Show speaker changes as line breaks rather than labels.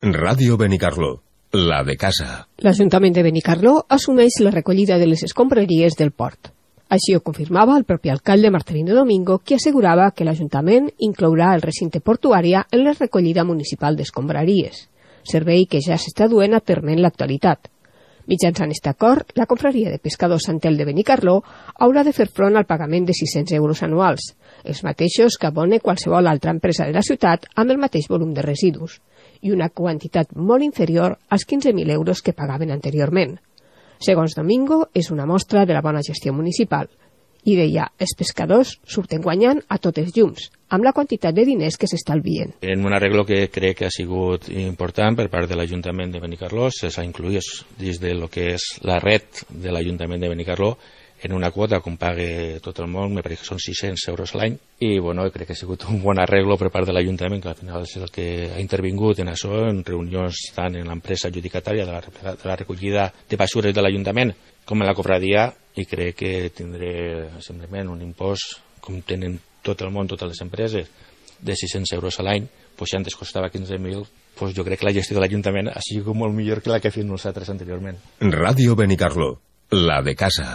Ràdio Benicarló, la de casa.
L'Ajuntament de Benicarló assumeix la recollida de les escombraries del port. Així ho confirmava el propi alcalde Marcelino Domingo, qui assegurava que l'Ajuntament inclourà el recinte portuari en la recollida municipal d'escombraries, servei que ja s'està duent a terme en l'actualitat. Mitjançant aquest acord, la confraria de pescadors Santel de Benicarló haurà de fer front al pagament de 600 euros anuals, els mateixos que abone qualsevol altra empresa de la ciutat amb el mateix volum de residus, i una quantitat molt inferior als 15.000 euros que pagaven anteriorment. Segons Domingo, és una mostra de la bona gestió municipal. I deia, els pescadors surten guanyant a tots els llums, amb la quantitat de diners que s'estalvien.
En un arreglo que crec que ha sigut important per part de l'Ajuntament de Benicarló, s'ha inclòs dins de lo que és la red de l'Ajuntament de Benicarló en una quota com pague tot el món, me pareix que són 600 euros a l'any, i bueno, crec que ha sigut un bon arreglo per part de l'Ajuntament, que al final és el que ha intervingut en això, en reunions tant en l'empresa adjudicatària de la recollida de basures de l'Ajuntament com en la cofradia, i crec que tindré simplement un impost, com tenen tot el món, totes les empreses, de 600 euros a l'any, doncs si antes costava 15.000, doncs jo crec que la gestió de l'Ajuntament ha sigut molt millor que la que fem nosaltres anteriorment.
Ràdio Benicarló, la de casa.